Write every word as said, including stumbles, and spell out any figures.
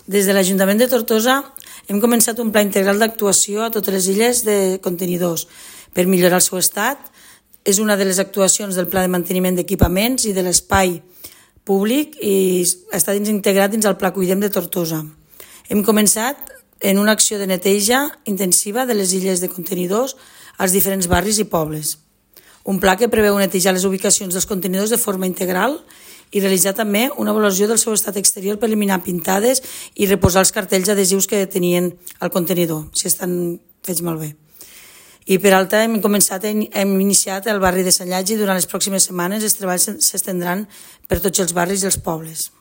Des de l'Ajuntament de Tortosa hem començat un pla integral d'actuació a totes les illes de contenidors per millorar el seu estat. És una de les actuacions del pla de manteniment d'equipaments i de l'espai públic i està dins integrat dins el Pla Cuidem de Tortosa. Hem començat en una acció de neteja intensiva de les illes de contenidors als diferents barris i pobles. Un pla que preveu netejar les ubicacions dels contenidors de forma integral i realitzar també una avaluació del seu estat exterior per eliminar pintades i reposar els cartells adhesius que tenien al contenidor, si estan fets malbé. I per altra hem començat, hem iniciat el barri de Sant Llàtzer i durant les pròximes setmanes els treballs s'estendran per tots els barris i els pobles.